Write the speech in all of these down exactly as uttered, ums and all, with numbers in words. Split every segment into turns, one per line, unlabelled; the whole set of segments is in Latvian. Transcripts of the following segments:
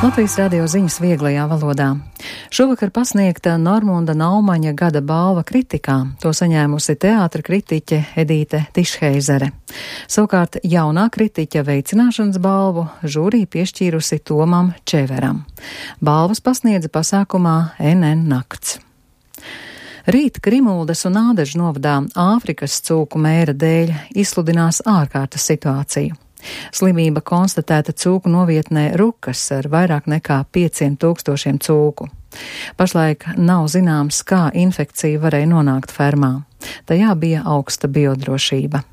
Latvijas radio ziņas vieglajā valodā. Šovakar pasniegta Normunda Naumaņa gada balva kritikā. To saņēmusi teātra kritiķe Edīte Tišheizere. Savukārt jaunā kritiķa veicināšanas balvu žūrī piešķīrusi Tomam Čeveram. Balvas pasniedza pasākumā N N nakts. Rīt Grimuldas un Ādežu novadā Āfrikas cūku mēra dēļ izsludinās ārkārtas situāciju. Slimība konstatēta cūku novietnē Rukas ar vairāk nekā pieciem tūkstošiem cūku. Pašlaik nav zināms, kā infekcija varēja nonākt fermā. Tajā bija augsta biodrošība.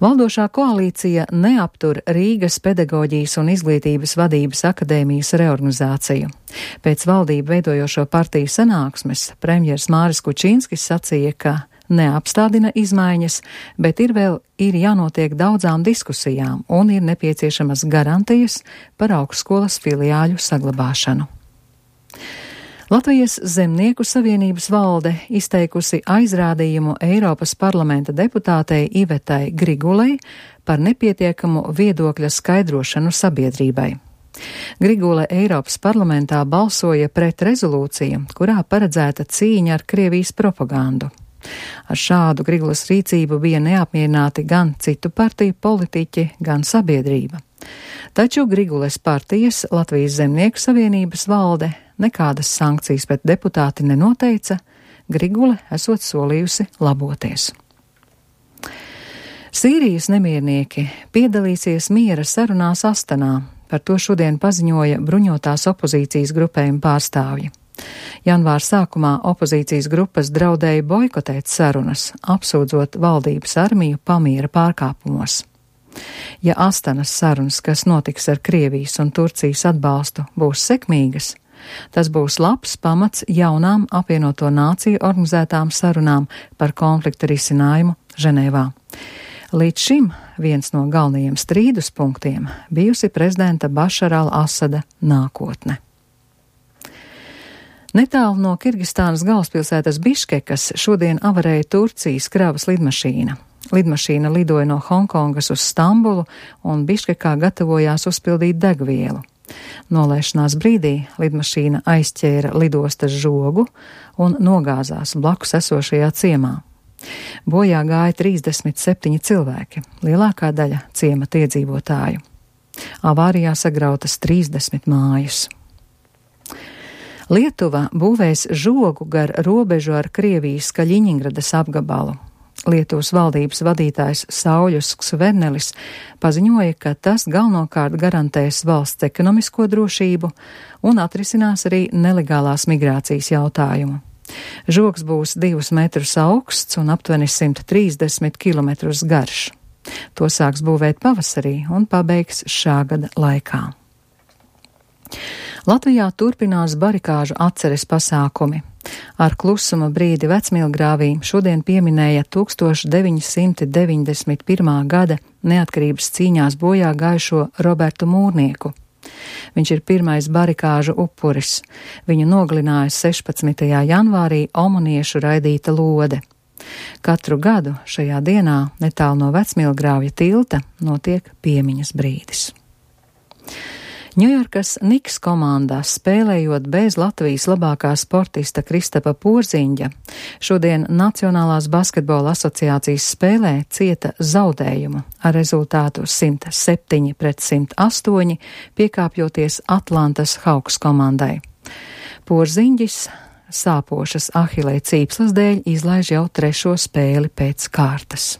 Valdošā koalīcija neaptur Rīgas pedagoģijas un izglītības vadības akadēmijas reorganizāciju. Pēc valdību veidojošo partiju sanāksmes premjers Māris Kučinskis sacīja, ka neapstādina izmaiņas, bet ir vēl ir jānotiek daudzām diskusijām un ir nepieciešamas garantijas par augstskolas filiāļu saglabāšanu. Latvijas Zemnieku savienības valde izteikusi aizrādījumu Eiropas parlamenta deputātei Ivetai Grigulei par nepietiekamu viedokļa skaidrošanu sabiedrībai. Grigule Eiropas parlamentā balsoja pret rezolūciju, kurā paredzēta cīņa ar Krievijas propagandu. Ar šādu Grigulas rīcību bija neapmierināti gan citu partiju politiķi, gan sabiedrība. Taču Grigules partijas Latvijas Zemnieku savienības valde nekādas sankcijas pret deputāti nenoteica, Grigule esot solījusi laboties. Sīrijas nemiernieki piedalīsies miera sarunās Astanā, par to šodien paziņoja bruņotās opozīcijas grupējuma pārstāvji. Janvāra sākumā opozīcijas grupas draudēja boikotēt sarunas, apsūdzot valdības armiju pamiera pārkāpumos. Ja Astanas sarunas, kas notiks ar Krievijas un Turcijas atbalstu, būs sekmīgas, tas būs labs pamats jaunām apvienoto nāciju organizētām sarunām par konflikta risinājumu Ženēvā. Līdz šim viens no galvenajiem strīdus punktiem bijusi prezidenta Bašara al-Asada nākotne. Netālu no Kirgistānas galvaspilsētas Biškekas šodien avarēja Turcijas kravas lidmašīna. Lidmašīna lidoja no Hongkongas uz Stambulu un Biškekā gatavojās uzpildīt degvielu. Nolaišanās brīdī lidmašīna aizķēra lidostas žogu un nogāzās blakus esošajā ciemā. Bojā gāja trīsdesmit septiņi cilvēki, lielākā daļa ciemata iedzīvotāju. Avārijā sagrautas trīsdesmit mājas. Lietuva būvēs žogu gar robežu ar Krievijas Kaļiņingradas apgabalu. Lietuvas valdības vadītājs Sauļus Skvernelis paziņoja, ka tas galvenokārt garantēs valsts ekonomisko drošību un atrisinās arī nelegālās migrācijas jautājumu. Žogs būs divus metrus augsts un aptuveni simt trīsdesmit kilometrus garš. To sāks būvēt pavasarī un pabeigs šā gada laikā. Latvijā turpinās barikāžu atceres pasākumi. Ar klusuma brīdi Vecmilgrāvī šodien pieminēja tūkstoš deviņi simti deviņdesmit pirmā gada neatkarības cīņās bojā gājušo Robertu Mūrnieku. Viņš ir pirmais barikāžu upuris. Viņu nogalināja sešpadsmitajā janvārī omaniešu raidīta lode. Katru gadu šajā dienā netālu no Vecmilgrāvja tilta notiek piemiņas brīdis. Ņujorkas Niks komandā spēlējot bez Latvijas labākā sportista Kristapa Porziņģa, šodien Nacionālās basketbola asociācijas spēlē cieta zaudējumu ar rezultātu simt septiņi pret simt astoņi, piekāpjoties Atlantas Hawks komandai. Porziņģis sāpošas ahilē cīpslas dēļ izlaiž jau trešo spēli pēc kārtas.